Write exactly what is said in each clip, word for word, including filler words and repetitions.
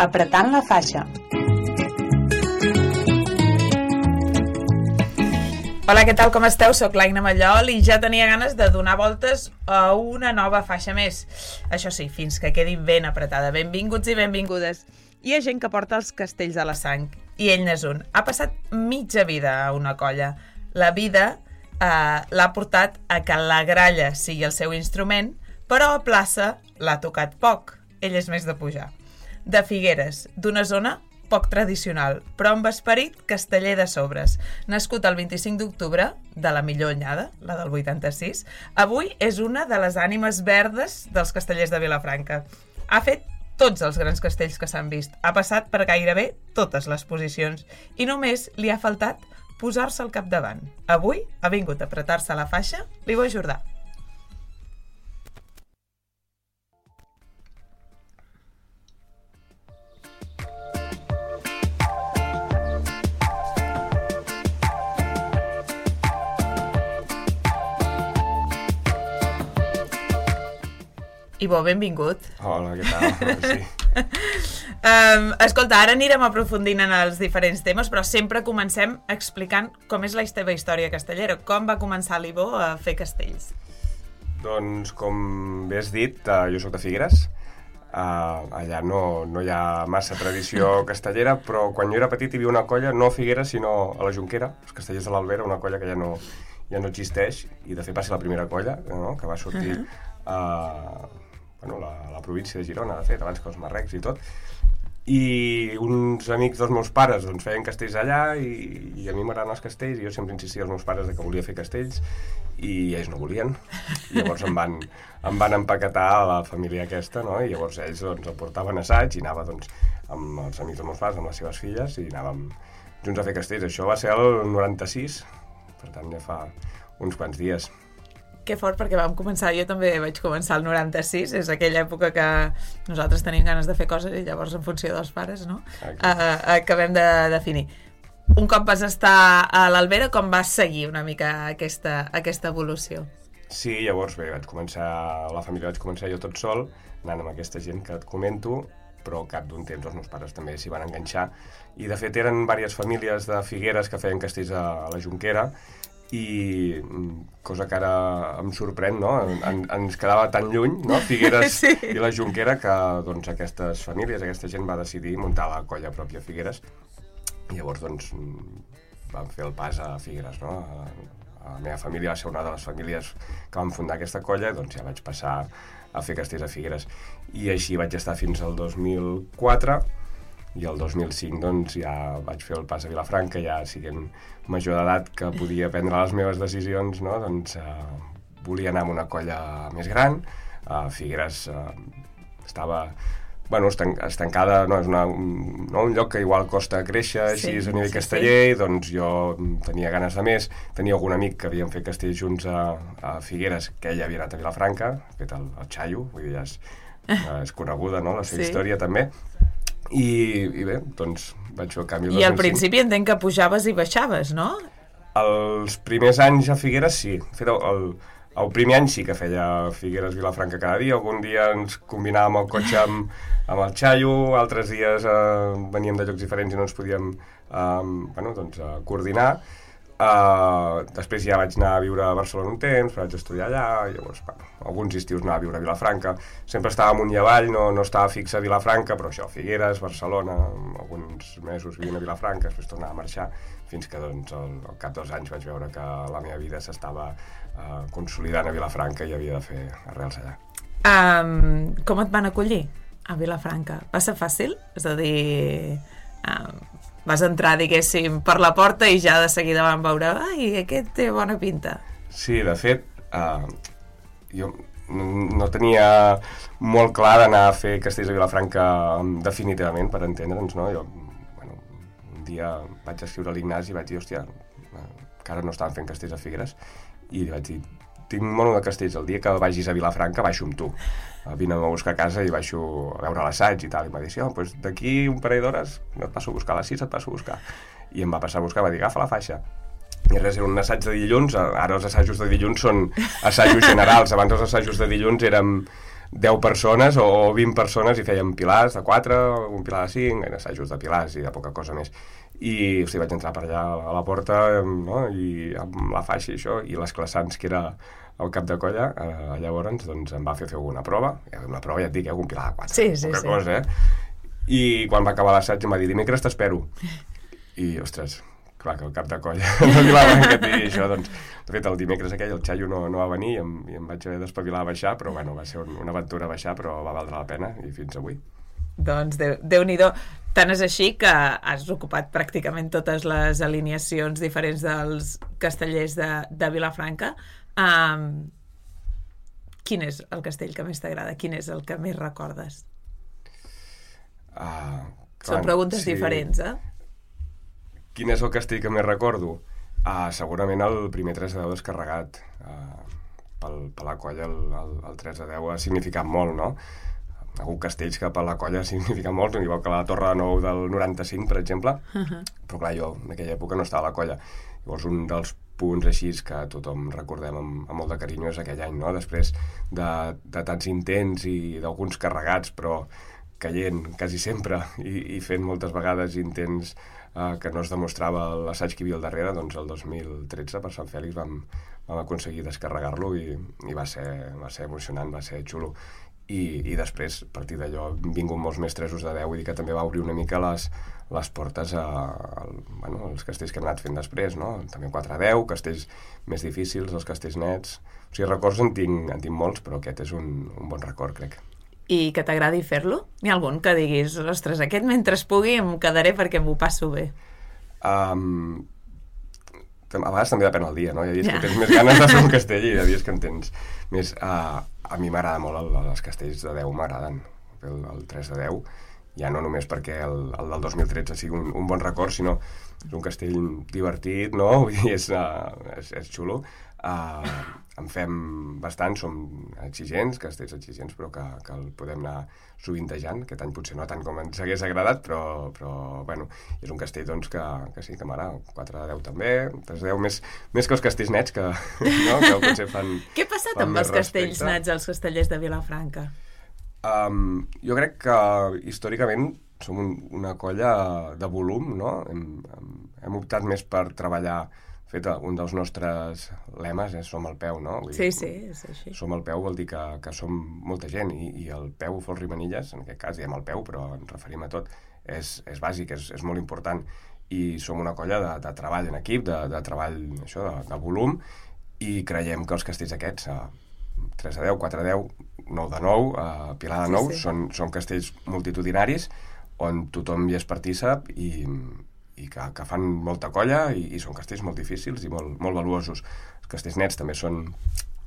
Apretant la faixa. Hola, què tal, com esteu? Soc l'Aina Mallol i ja tenia ganes de donar voltes a una nova faixa més. Això sí, fins que quedi ben apretada. Benvinguts i benvingudes. Hi ha gent que porta els castells a la sang, i ell n'és un. Ha passat mitja vida a una colla. La vida eh, l'ha portat a que la gralla sigui el seu instrument, però a plaça l'ha tocat poc. Ell és més de pujar. De Figueres, d'una zona poc tradicional, però amb esperit casteller de sobres. Nascut el vint-i-cinc d'octubre, de la millor anyada, la del vuitanta-sis, avui és una de les ànimes verdes dels castellers de Vilafranca. Ha fet tots els grans castells que s'han vist, ha passat per gairebé totes les posicions i només li ha faltat posar-se al capdavant. Avui ha vingut a apretar-se la faixa l'Ivo Jordà. Ivo, benvingut. Hola, què tal? Sí. um, escolta, ara anirem aprofundint en els diferents temes, però sempre comencem explicant com és la teva història castellera. Com va començar l'Ivo a fer castells? Doncs, com bé has dit, uh, jo soc de Figueres. Uh, allà no, no hi ha massa tradició castellera, però quan jo era petit hi havia una colla, no a Figueres, sinó a la Jonquera, els castellers de l'Albera, una colla que ja no, ja no existeix, i de fet va ser la primera colla, no?, que va sortir... Uh-huh. uh, Bueno, la, la província de Girona, de fet, abans que els marrecs i tot. I uns amics dels meus pares doncs, feien castells allà i, i a mi m'agraden els castells i jo sempre insistia als meus pares de que volia fer castells i ells no volien. I llavors em van, em van empaquetar a la família aquesta, no? I llavors ells doncs, el portaven a assaig i anava doncs, amb els amics dels meus pares, amb les seves filles, i anàvem junts a fer castells. Això va ser el noranta-sis, per tant ja fa uns quants dies. Que fort, perquè vam començar, jo també vaig començar el noranta-sis, és aquella època que nosaltres tenim ganes de fer coses i llavors en funció dels pares, no? Uh, acabem de definir. Un cop vas estar a l'Albera, com vas seguir una mica aquesta, aquesta evolució? Sí, llavors bé, vaig començar, la família vaig començar jo tot sol, anant amb aquesta gent que et comento, però al cap d'un temps els meus pares també s'hi van enganxar, i de fet eren diverses famílies de Figueres que feien castells a, a la Jonquera, i cosa que ara em sorprèn, no? En, ens quedava tan lluny, no? Figueres sí. I la Jonquera, que doncs, aquestes famílies, aquesta gent va decidir muntar la colla pròpia a Figueres i llavors doncs, vam fer el pas a Figueres, no? A, a la meva família va ser una de les famílies que van fundar aquesta colla i doncs ja vaig passar a fer castells a Figueres i així vaig estar fins al dos mil quatre i el dos mil cinc doncs, ja vaig fer el pas a Vilafranca, ja siguent major d'edat que podia prendre les meves decisions, no? Doncs eh, volia anar amb una colla més gran. A Figueres eh, estava bueno, estanc estancada, no, és una, un, no, un lloc que igual costa créixer, així sí, a nivell sí, casteller, sí. Doncs jo tenia ganes de més. Tenia algun amic que havíem fet castells junts a, a Figueres, que ell havia anat a Vilafranca, fet el, el Xaio, vull dir, ja és, és coneguda, no?, la seva sí. història també. I, i bé, doncs vaig fer el canvi I al principi entenc que pujaves i baixaves, no? Els primers anys a Figueres sí. Fet el, el, el primer any sí que feia Figueres-Vilafranca cada dia. Algun dia ens combinàvem el cotxe amb, amb el Xaio, altres dies eh, veníem de llocs diferents i no ens podíem eh, bueno, doncs, eh, coordinar. Uh, després ja vaig anar a viure a Barcelona un temps, vaig estudiar allà, i llavors, bueno, alguns estius anava a viure a Vilafranca. Sempre estava amunt i avall, no, no estava fixa a Vilafranca, però això, Figueres, Barcelona, alguns mesos vivint a Vilafranca, després tornava a marxar, fins que doncs, al, al cap dels anys vaig veure que la meva vida s'estava uh, consolidant a Vilafranca i havia de fer arrels allà. Um, com et van acollir a Vilafranca? Va ser fàcil? És a dir... Um, vas entrar, diguéssim, per la porta i ja de seguida van veure ai, aquest té bona pinta. Sí, de fet, uh, jo no tenia molt clar d'anar a fer castells a Vilafranca definitivament, per entendre'ns, no? Jo, bueno, un dia vaig escriure a l'Ignasi i vaig dir, hòstia, que ara no estaven fent castells a Figueres, i li vaig dir, tinc mono de castells, el dia que vagis a Vilafranca baixo amb tu, vine a buscar a casa i baixo a veure l'assaig i tal, i em va dir, sí, oh, doncs d'aquí un parell d'hores no et passo a buscar, a les sis et passo a buscar, i em va passar a buscar, va dir, agafa la faixa, i res, era un assaig de dilluns, ara els assajos de dilluns són assajos generals, abans els assajos de dilluns eren deu persones o vint persones i fèiem pilars de quatre, un pilar de cinc, assajos de pilars i de poca cosa més. I o sigui, vaig entrar per allà a la porta, no? I amb la faixa i això, i l'esclassants, que era el cap de colla, eh, llavors doncs, em va fer fer alguna prova, una prova ja et dic, eh, un pilar de quatre, sí, sí, poca sí. cosa, eh? I quan va acabar l'assaig em va dir, dimecres t'espero. I, ostres, clar que el cap de colla no Vilafranca et digui això, doncs, de fet, el dimecres aquell el Xaio no, no va venir i em, i em vaig haver d'espavilar a baixar, però bueno, va ser un, una aventura a baixar, però va valdre la pena, i fins avui. Doncs Déu, Déu-n'hi-do. Tant és així que has ocupat pràcticament totes les alineacions diferents dels castellers de, de Vilafranca. Um, quin és el castell que més t'agrada? Quin és el que més recordes? Uh, Són preguntes sí. diferents, eh? Quin és el castell que més recordo? Uh, segurament el primer tres de deu descarregat. Uh, pel, per la colla el, el, el tres de deu ha significat molt, no? Hi ha hagut castells que per la colla ha significat molt, igual que la Torre de Nou del noranta-cinc, per exemple, uh-huh. però clar, jo en aquella època no estava a la colla. Llavors un dels punts així que tothom recordem amb, amb molt de carinyo és aquell any, no? Després de, de tants intents i d'alguns carregats, però caient quasi sempre i, i fent moltes vegades intents eh, que no es demostrava l'assaig que hi havia al darrere, doncs el dos mil tretze per Sant Fèlix vam, vam aconseguir descarregar-lo i, i va, ser, va ser emocionant, va ser xulo. I, i després, a partir d'allò, han vingut molts més tresos de deu, vull dir que també va obrir una mica les, les portes a, a, bueno, als castells que hem anat fent després, no? També quatre deu, castells més difícils, els castells nets. O sigui, records en tinc, en tinc molts, però aquest és un, un bon record, crec. I que t'agradi fer-lo? N'hi ha algun que diguis, ostres, aquest mentre es pugui em quedaré perquè m'ho passo bé? Um, a vegades també depèn del dia, no? Hi ha dies yeah. que tens més ganes de fer un castell i hi ha dies que en tens més... Uh, a mi m'agrada molt el, els castells de deu, m'agraden. El, el tres de deu, ja no només perquè el, el del dos mil tretze sigui un, un bon record, sinó és un castell divertit, no? Vull dir, és, uh, és, és xulo. Uh, en fem bastant, som exigents, castells exigents, però que, que el podem anar sovintejant. Aquest any potser no tant com ens hagués agradat, però, però bueno, és un castell doncs, que, que sí que m'agrada. quatre de deu també, tres de deu, més, més que els castells nets, que, no? que potser fan... Què ha passat amb els castells nets, els castellers de Vilafranca? Um, jo crec que històricament som un, una colla de volum, no? Hem, hem optat més per treballar. Fet, un dels nostres lemes és som al peu, no? Vull sí, dir, sí, és així. Som al peu vol dir que, que som molta gent i, i el peu Folch Rimanilles, en aquest cas diem el peu, però ens referim a tot, és, és bàsic, és, és molt important i som una colla de, de treball en equip, de, de treball això, de, de volum i creiem que els castells aquests, uh, tres de deu, quatre de deu, nou de nou, uh, Pilar de nou, sí, sí. Són, són castells multitudinaris on tothom hi és partícip i i que, que fan molta colla i, i són castells molt difícils i molt, molt valuosos. Els castells nets també són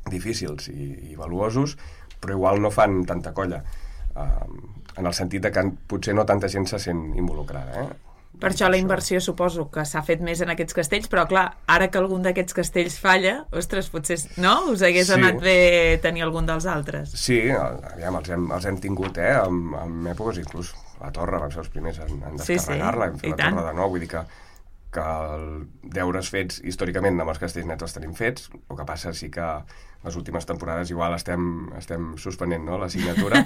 difícils i, i valuosos, però igual no fan tanta colla, uh, en el sentit de que potser no tanta gent se sent involucrada. Eh? Per això la inversió suposo que s'ha fet més en aquests castells, però clar, ara que algun d'aquests castells falla, ostres, potser no? Us hagués sí. anat bé tenir algun dels altres. Sí, aviam, els hem, els hem tingut, eh, en, en èpoques inclús la Torre, vam ser els primers en, en descarregar-la, sí, sí. hem fet la tant. Torre de nou, vull dir que, que el deures fets històricament amb els castells nets els tenim fets, el que passa sí que les últimes temporades igual estem, estem suspenent, no?, la signatura,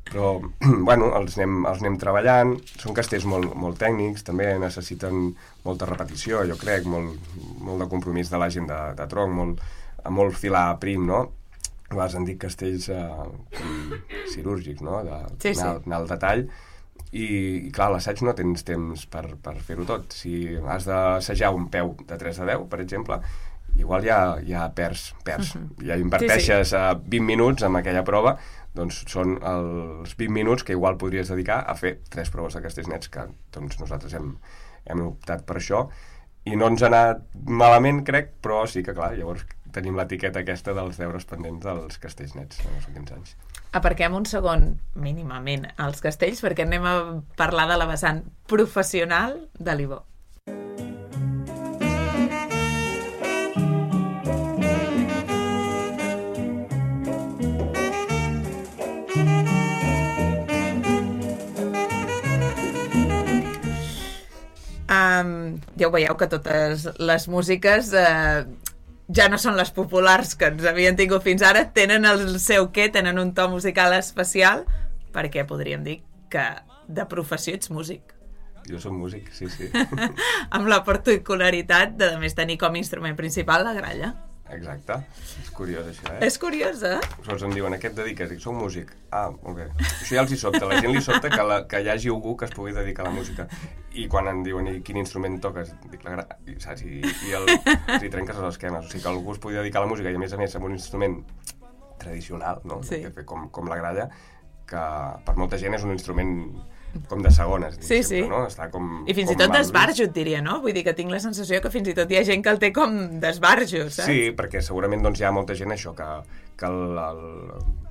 però, bueno, els anem, els anem treballant, són castells molt, molt tècnics, també necessiten molta repetició, jo crec, molt, molt de compromís de la gent de, de tronc, molt, molt filar prim, no?, a vegades han dit castells eh, cirúrgics, no?, de, sí, sí. anar, anar al detall, i, i clar, a l'assaig no tens temps per, per fer-ho tot. Si has d'assajar un peu de tres de deu, per exemple, igual ja, ja perds, perds. Uh-huh. Ja inverteixes sí, sí. vint minuts en aquella prova, doncs són els vint minuts que igual podries dedicar a fer tres proves de castells nets, que doncs, nosaltres hem, hem optat per això, i no ens ha anat malament, crec, però sí que, clar, llavors tenim l'etiqueta aquesta dels deures pendents dels castells nets en els últims anys. Aparquem un segon, mínimament, als castells, perquè anem a parlar de la vessant professional de l'Ibó. Um, ja ho veieu que totes les músiques... Eh, ja no són les populars que ens havien tingut fins ara, tenen el seu què, tenen un to musical especial, perquè podríem dir que de professió ets músic. Jo soc músic, sí, sí. Amb la particularitat de, a més, tenir com a instrument principal la gralla. Exacte. És curiós, això, eh? És curiós, eh? Sols em diuen, a què et dediques? Dic, soc músic. Ah, molt bé. Això ja els hi sobta. La gent li sobta que, la, que hi hagi algú que es pugui dedicar a la música. I quan em diuen, i quin instrument toques? Dic, la gra... I, saps? I, i el... I trenques els esquemes. O sigui, que algú es pugui dedicar a la música i, a més a més, amb un instrument tradicional, no? Sí. Com, com la gralla, que per molta gent és un instrument com de segones, sí, sí. No? Està com, i fins com i tot d'esbarjo, et diria, no? Vull dir que tinc la sensació que fins i tot hi ha gent que el té com d'esbarjo, saps? Sí, perquè segurament doncs, hi ha molta gent això, que, que el, el,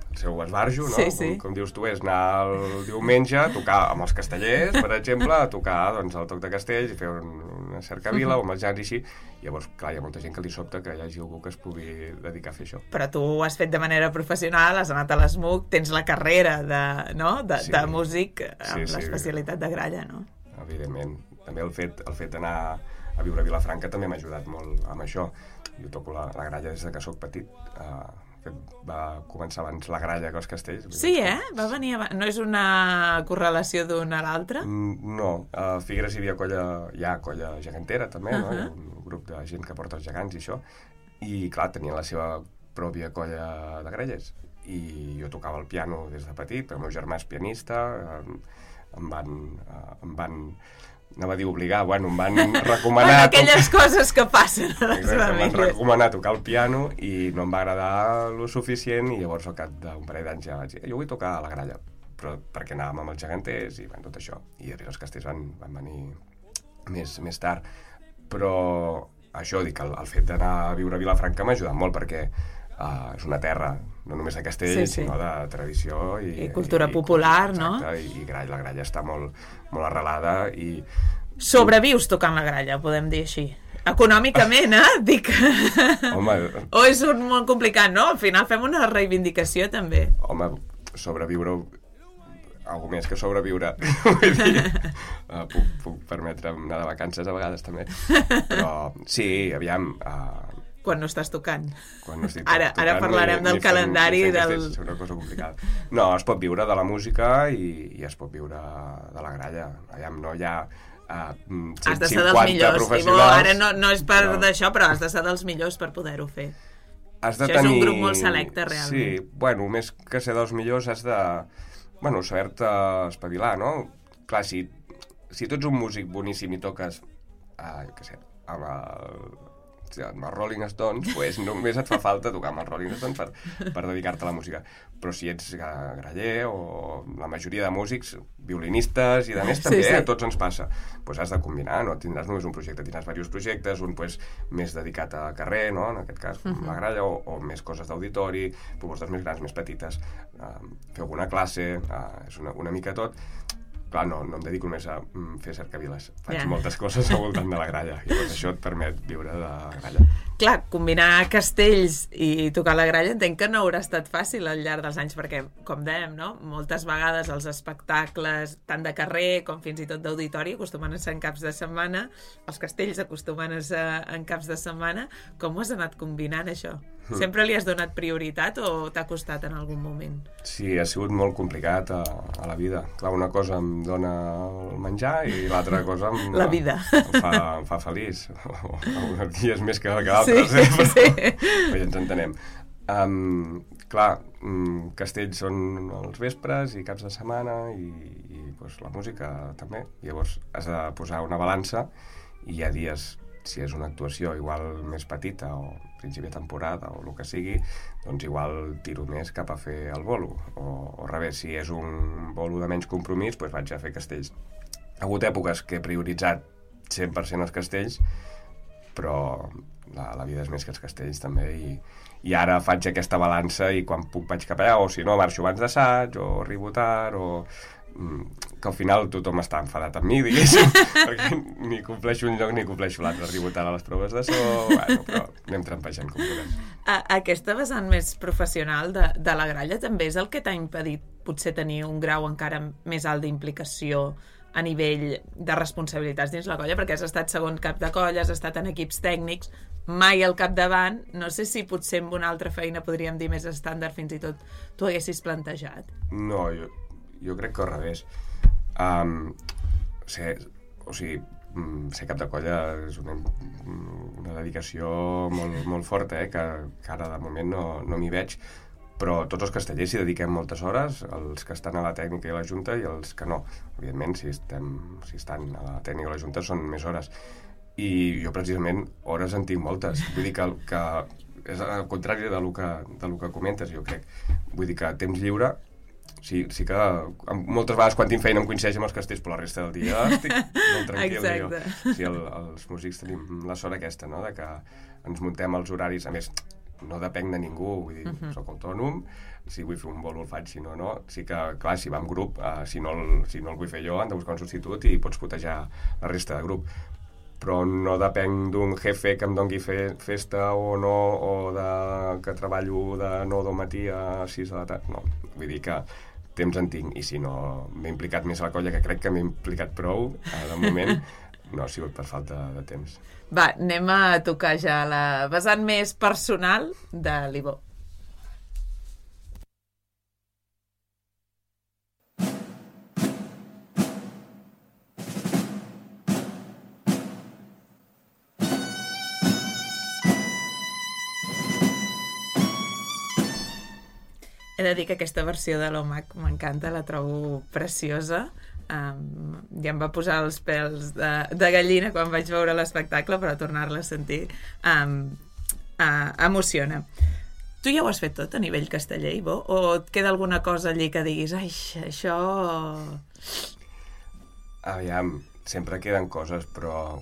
el seu esbarjo, no? Sí, sí. Com, com dius tu, és anar el diumenge a tocar amb els castellers, per exemple, a tocar doncs, el toc de castells i fer un, una cercavila uh -huh. o amb els jans i així. Llavors, clar, hi ha molta gent que li sobta que hi hagi algú que es pugui dedicar a fer això. Però tu ho has fet de manera professional, has anat a l'ESMUC, tens la carrera de, no? de, sí. de músic amb sí, sí. l'especialitat de gralla, no? Evidentment. També el fet, el fet d'anar a viure a Vilafranca també m'ha ajudat molt amb això. Jo toco la, la gralla des que sóc petit. Uh, va començar abans la gralla que els castells. Sí, eh? Va venir abans. No és una correlació d'una a l'altra? Mm, no. A Figueres hi havia colla, hi ha colla gegantera també, uh -huh. no? Hi ha un grup de gent que porta els gegants i això. I, clar, tenien la seva pròpia colla de gralles. I jo tocava el piano des de petit, el meu germà és pianista, em van... Em van anava a dir obligar, bueno, em van recomanar... Bueno, aquelles tocar... coses que passen a les famílies. Em van recomanar tocar el piano i no em va agradar lo suficient i llavors al cap d'un parell d'anys ja vaig dir, jo vull tocar a la gralla, però perquè anàvem amb els geganters i bueno, tot això. I els castells van, van venir més, més tard. Però això, dic, el, el fet d'anar a viure a Vilafranca m'ha ajudat molt perquè uh, és una terra no només de castells, sí, sí. sinó de tradició i, i cultura i, popular, i, no? Exacte, i, i gralla, la gralla està molt, molt arrelada i... Sobrevius tocant la gralla, podem dir així. Econòmicament, eh? Dic... Home... O és un molt complicat, no? Al final fem una reivindicació, també. Home, sobreviure... algo més que sobreviure. Vull dir, uh, puc, puc permetre'm anar de vacances a vegades, també. Però, sí, aviam... Uh, quan no estàs tocant. Quan no estic ara, tocant, ara parlarem ni, del ni calendari fent, del... És una cosa complicada. No, es pot viure de la música i, i es pot viure de la gralla. Allà no hi ha uh, has de ser dels millors. I bo, ara no, no és per però... d'això, però has de ser dels millors per poder-ho fer. Has de això tenir... és un grup molt selecte, realment. Sí, bueno, més que ser dels millors has de... Bueno, saber-te espavilar, no? Clar, si, si tu ets un músic boníssim i toques, uh, jo què sé, amb el... amb els Rolling Stones, pues només et fa falta tocar amb els Rolling Stones per, per dedicar-te a la música. Però si ets graller o la majoria de músics, violinistes i de més també, sí, sí. a tots ens passa. Pues has de combinar, no tindràs només un projecte, tindràs diversos projectes, un pues, més dedicat a carrer, no? En aquest cas, uh-huh. la gralla, o, o més coses d'auditori, propostes més grans, més petites, uh, fer alguna classe, uh, és una, una mica tot. Clar, no, no em dedico només a mm, fer cercaviles. Faig yeah. moltes coses al voltant de la gralla. I llavors això et permet viure de la gralla. Clar, combinar castells i tocar la gralla entenc que no haurà estat fàcil al llarg dels anys, perquè, com dèiem, no? moltes vegades els espectacles, tant de carrer com fins i tot d'auditori, acostumen a ser en caps de setmana, els castells acostumen a ser en caps de setmana. Com ho has anat combinant, això? Mm. Sempre li has donat prioritat o t'ha costat en algun moment? Sí, ha sigut molt complicat a, a la vida. Clar, una cosa em dona el menjar i l'altra cosa em, la vida. em, fa, em fa feliç. Alguns dies més que d'altres, sí, eh? Però, sí. però ja ens entenem. Um, clar, um, castells són els vespres i caps de setmana i, i pues, la música també. Llavors has de posar una balança i hi ha dies, si és una actuació igual més petita o principi de temporada o el que sigui, doncs igual tiro més cap a fer el bolo. O, o al revés, si és un bolo de menys compromís, doncs vaig a fer castells. Ha hagut èpoques que he prioritzat cent per cent els castells, però la, la vida és més que els castells també, i, i ara faig aquesta balança i quan puc vaig cap allà, o si no marxo abans d'assaig, o arribo tard, o... que al final tothom està enfadat amb mi, diguéssim, perquè ni compleixo un lloc ni compleixo l'altre, arribo tard a les proves de so, bueno, però anem trampejant com podem. A, aquesta vessant més professional de, de la gralla també és el que t'ha impedit potser tenir un grau encara més alt d'implicació a nivell de responsabilitats dins la colla, perquè has estat segon cap de colla, has estat en equips tècnics, mai al capdavant. No sé si potser amb una altra feina podríem dir més estàndard, fins i tot tu haguessis plantejat. No, jo, jo crec que al revés. Um, ser, o sigui, ser cap de colla és una, una dedicació molt, molt forta, eh? que, que ara de moment no, no m'hi veig, però tots els castellers s'hi dediquem moltes hores, els que estan a la tècnica i a la junta i els que no. Evidentment, si, estem, si estan a la tècnica i a la junta són més hores. I jo, precisament, hores en tinc moltes. Vull dir que, que és al contrari del que, del que comentes, jo crec. Vull dir que temps lliure, sí, sí que moltes vegades quan tinc feina em coincideix amb els castells, però la resta del dia estic molt tranquil. Exacte. Jo. Sí, el, els músics tenim la sort aquesta, no?, de que ens muntem els horaris. A més, no depenc de ningú, vull dir, uh-huh. soc autònom, si vull fer un bolo el faig, si no, no. Sí que, clar, si va en grup, uh, si, no el, si no el vull fer jo, han de buscar un substitut i pots putejar la resta de grup. Però no depenc d'un jefe que em doni fe, festa o no, o de, que treballo de nou del matí a sis de la tarda. No, vull dir que temps en tinc, i si no m'he implicat més a la colla, que crec que m'he implicat prou, uh, de moment, no ha sigut per falta de temps. Va, anem a tocar ja la vessant més personal de l'Ivo. He de dir que aquesta versió de l'Omac m'encanta, la trobo preciosa. Um, ja em va posar els pèls de, de gallina quan vaig veure l'espectacle, però tornar-la a sentir um, uh, emociona. Tu ja ho has fet tot a nivell casteller, Ivo? O et queda alguna cosa allí que diguis, ai, això... Aviam, sempre queden coses, però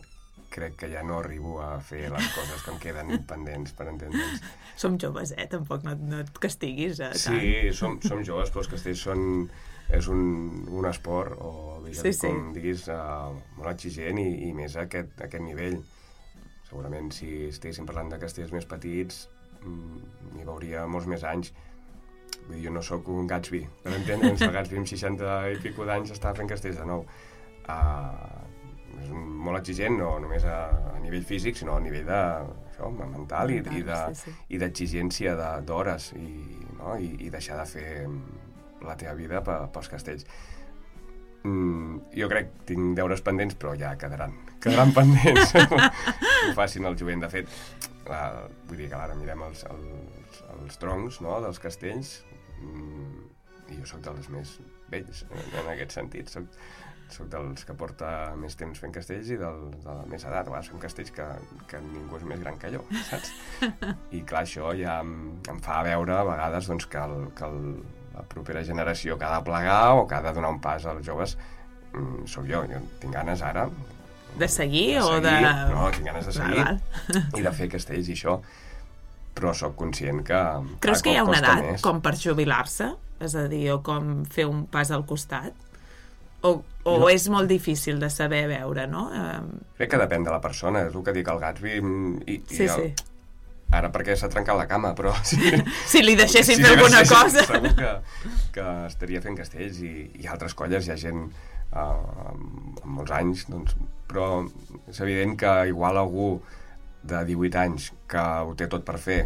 crec que ja no arribo a fer les coses que em queden pendents, per entendre'ns. Som joves, eh? Tampoc no, no et castiguis eh, tant. Sí, som, som joves, però els castells són... és un, un esport, o diguem, sí, sí. com diguis, uh, molt exigent, i, i més a aquest, a aquest nivell. Segurament, si estiguéssim parlant de castells més petits, n'hi veuria molts més anys. Vull dir, jo no sóc un Gatsby, per entendre'ns, el Gatsby amb seixanta i pico d'anys estava fent castells de nou. Uh, és molt exigent, no només a, a nivell físic, sinó a nivell de, això, mental i, i, de, sí, sí. i d'exigència d'hores, i, no? I, i deixar de fer la teva vida pels castells. Mm, jo crec que tinc deures pendents, però ja quedaran, quedaran pendents. Ho facin el jovent. De fet, la, vull dir que ara mirem els, els, els troncs, no?, dels castells, mm, i jo sóc dels més vells, en, en aquest sentit. Soc, soc dels que porta més temps fent castells i del, de la més edat. A vegades fem castells que, que ningú és més gran que jo, saps? I clar, això ja em, em fa veure a vegades doncs, que, el, que el, la propera generació que ha de plegar o que ha de donar un pas als joves mm, sóc jo. Jo tinc ganes ara... De seguir, de seguir o de... No, tinc ganes de seguir val, val. I de fer castells i això, però sóc conscient que... Creus que hi ha una edat més. Com per jubilar-se? És a dir, o com fer un pas al costat? O, o no. És molt difícil de saber veure, no? Crec que depèn de la persona, és el que dic el Gatsby. I, sí, i el... sí. Ara perquè s'ha trencat la cama, però... Si, si li deixessin si fer li alguna deixessin, cosa... Segur que, que estaria fent castells, i, i altres colles hi ha gent uh, amb, amb molts anys, doncs, però és evident que igual algú de divuit anys que ho té tot per fer,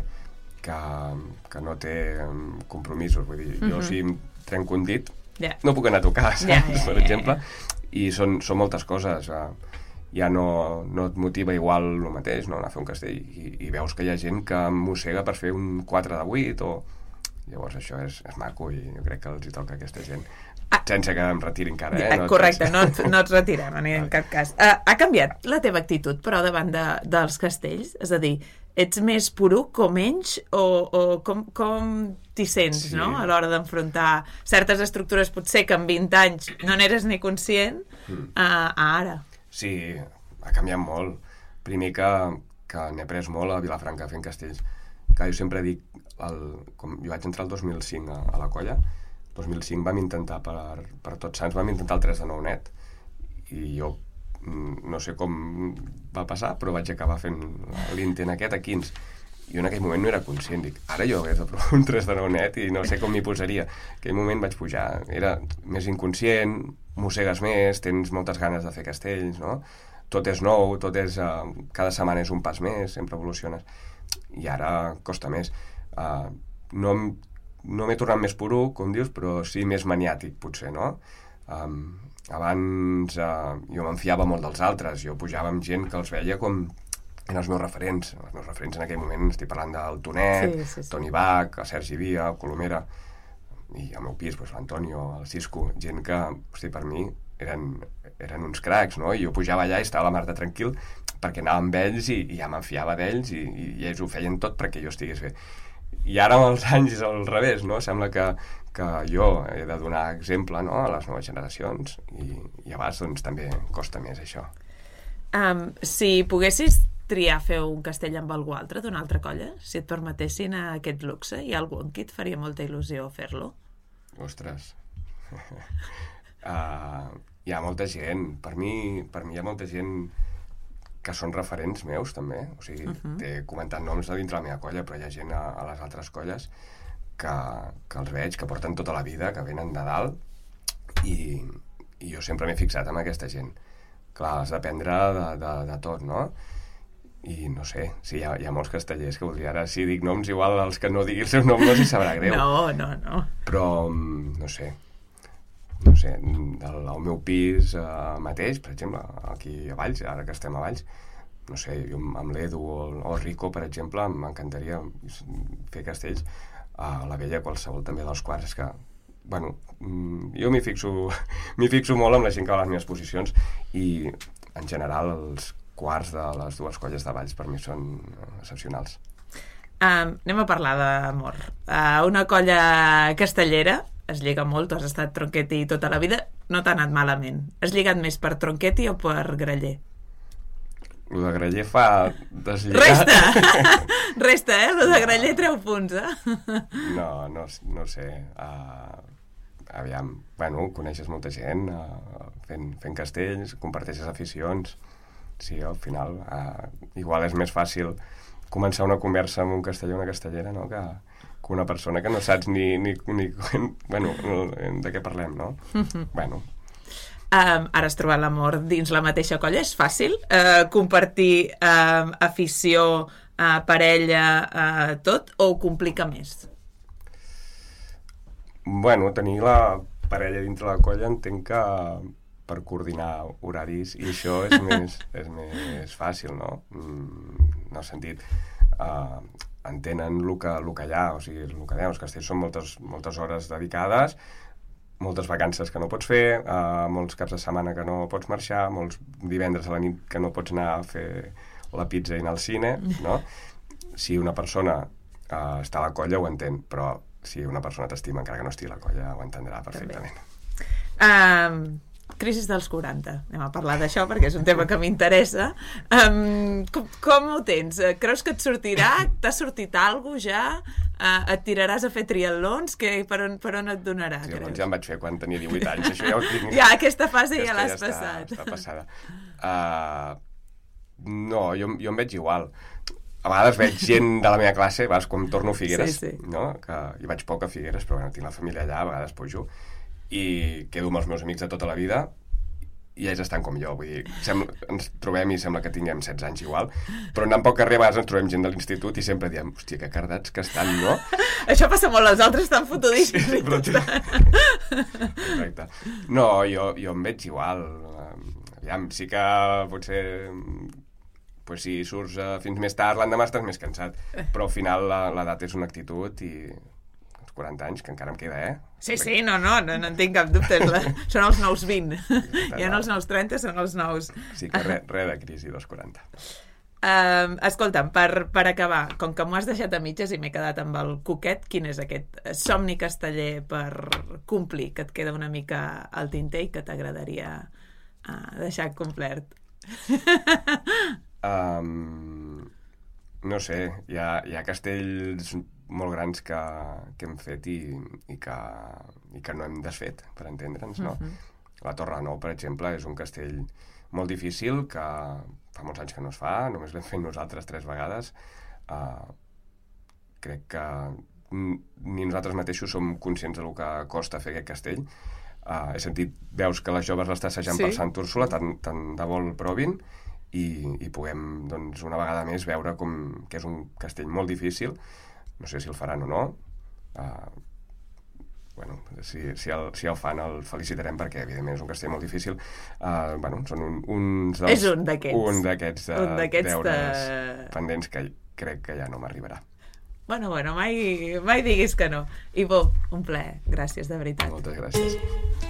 que, que no té compromisos, vull dir, mm-hmm. jo si em trenco un dit, yeah. no puc anar a tocar, saps? Yeah, yeah, per exemple, i són, són moltes coses... Uh, ja no, no et motiva igual el mateix, no, anar a fer un castell, i, i veus que hi ha gent que mossega per fer un quatre de vuit, o... Llavors això és, és maco, i jo crec que els hi toca a aquesta gent. Ah. Sense que em retiri encara, eh? No correcte, no, no et retirem en, en cap cas. Uh, ha canviat la teva actitud, però, davant de, dels castells? És a dir, ets més poruc o menys, o, o com, com t'hi sents, sí. no?, a l'hora d'enfrontar certes estructures, potser que en vint anys no n'eres ni conscient, mm. a, a ara? Sí, ha canviat molt. Primer que, que n'he après molt a Vilafranca fent castells. Que jo sempre dic, el, com jo vaig entrar el dos mil cinc a, a la colla, el dos mil cinc vam intentar, per, per Tots Sants, vam intentar el tres de nou net. I jo no sé com va passar, però vaig acabar fent l'intent aquest a quinze. i jo en aquell moment no era conscient, dic, ara jo hagués de provar un tres de nou net i no sé com m'hi posaria. En aquell moment vaig pujar, era més inconscient, mossegues més, tens moltes ganes de fer castells, no? Tot és nou, tot és... Uh, cada setmana és un pas més, sempre evoluciones. I ara costa més. Uh, no, no m'he tornat més poruc, com dius, però sí més maniàtic, potser, no? Um, abans uh, jo m'enfiava molt dels altres, jo pujava amb gent que els veia com eren els meus referents. Els meus referents en aquell moment, estic parlant del Tonet, sí, sí, sí. Toni Bach, el Sergi Via, el Colomera, i al meu pis, doncs, l'Antonio, el Cisco, gent que, hosti, per mi eren, eren uns cracs, no? I jo pujava allà i estava la mar de tranquil perquè anava amb ells i, i ja m'enfiava d'ells i, i, i ells ho feien tot perquè jo estigués bé. I ara amb els anys és al revés, no? Sembla que, que jo he de donar exemple, no?, a les noves generacions i, i a vegades doncs, també costa més això. Um, si poguessis triar fer un castell amb algú altre d'una altra colla, si et permetessin aquest luxe, hi ha algú en qui et faria molta il·lusió fer-lo? Ostres... uh, hi ha molta gent. Per mi, per mi hi ha molta gent que són referents meus, també. O sigui, uh -huh. t'he comentat noms de dintre la meva colla, però hi ha gent a, a les altres colles que, que els veig, que porten tota la vida, que venen de dalt, i, i jo sempre m'he fixat en aquesta gent. Clar, has d'aprendre de, de, de tot, no? I no sé, sí, hi ha, hi ha molts castellers que voldria ara, si dic noms, igual els que no digui el seu nom no s'hi sabrà greu. No, no, no. Però, no sé, no sé, del, al meu pis eh, mateix, per exemple, aquí a Valls, ara que estem a Valls, no sé, jo amb l'Edu o, o el Rico, per exemple, m'encantaria fer castells. A la Vella, qualsevol també dels quarts, és que, bueno, jo m'hi fixo, m'hi fixo molt amb la gent que va a les meves posicions i, en general, els quarts de les dues colles de Valls per mi són excepcionals. Um, anem a parlar d'amor. Uh, una colla castellera es lliga molt, tu has estat Tronchetti tota la vida, no t'ha anat malament. Has lligat més per Tronchetti o per Graller? Lo de Graller fa deslligar... Resta! Resta, eh? Lo de Graller treu punts, eh? No, no, no sé. Uh, aviam, bueno, coneixes molta gent uh, fent, fent castells, comparteixes aficions. Sí, al final, uh, igual és més fàcil començar una conversa amb un casteller o una castellera, no?, que, que una persona que no saps ni, ni, ni bueno, de què parlem, no? Bueno. Um, ara has trobat l'amor dins la mateixa colla, és fàcil uh, compartir uh, afició, uh, parella, uh, tot, o ho complica més? Bueno, tenir la parella dintre la colla entenc que per coordinar horaris, i això és més, és més fàcil, no? Mm, en el sentit, uh, entenen el que, el que hi ha, o sigui, el que hi ha, els castells són moltes, moltes hores dedicades, moltes vacances que no pots fer, uh, molts caps de setmana que no pots marxar, molts divendres a la nit que no pots anar a fer la pizza i anar al cine, no? Si una persona uh, està a la colla ho entén, però si una persona t'estima encara que no estigui a la colla ho entendrà perfectament. Um, crisis dels quaranta, anem a parlar d'això perquè és un tema que m'interessa. Um, com, com ho tens? Creus que et sortirà? T'ha sortit alguna cosa ja? Uh, et tiraràs a fer triatlons? Que, per, on, per on et donarà? Triatlons ja em vaig fer quan tenia divuit anys, això ja ho tinc. Ja, aquesta fase aquesta ja l'has ja passat. Està, està passada. Uh, no, jo, jo em veig igual. A vegades veig gent de la meva classe, a vegades quan torno a Figueres, sí, sí. No? Que hi vaig poc a Figueres, però bueno, tinc la família allà, a vegades pujo, i quedo amb els meus amics de tota la vida, i ells estan com jo, vull dir, sembla, ens trobem i sembla que tinguem setze anys igual, però anant pel carrer a vegades ens trobem gent de l'institut i sempre diem, hòstia, que cardats que estan, no? Això passa molt, els altres estan fotudíssims. Sí, però... Exacte. No, jo, jo em veig igual. Aviam, sí que potser... Pues si surts uh, fins més tard, l'endemà estàs més cansat, però al final l'edat és una actitud i els quaranta anys, que encara em queda, eh? Sí, sí, no, no, no, no en tinc cap dubte. La... Són els nous vint. Ja no els nous trenta, són els nous... Sí, que res re de crisi dels quaranta. Uh, escolta'm, per, per acabar, com que m'ho has deixat a mitges i m'he quedat amb el coquet, quin és aquest somni casteller per complir, que et queda una mica al tinter i que t'agradaria uh, deixar complert? Um, no sé, hi ha, hi ha castells molt grans que, que hem fet i, i, que, i que no hem desfet, per entendre'ns, no? Uh-huh. La Torre Nou, per exemple, és un castell molt difícil que fa molts anys que no es fa, només l'hem fet nosaltres tres vegades, uh, crec que ni nosaltres mateixos som conscients del que costa fer aquest castell. Uh, he sentit veus que les joves l'està assajant sí. per Sant Úrsula, tant, tant de vol provin, i, i puguem, doncs, una vegada més veure com que és un castell molt difícil. No sé si el faran o no. Uh, bueno, si, si, el, si el fan el felicitarem perquè, evidentment, és un castell molt difícil. Uh, bueno, són un, uns dels... És un d'aquests. Un d'aquests de, un d'aquests deures de... pendents que crec que ja no m'arribarà. Bueno, bueno, mai, mai diguis que no. I bo, un plaer. Gràcies, de veritat. Moltes gràcies.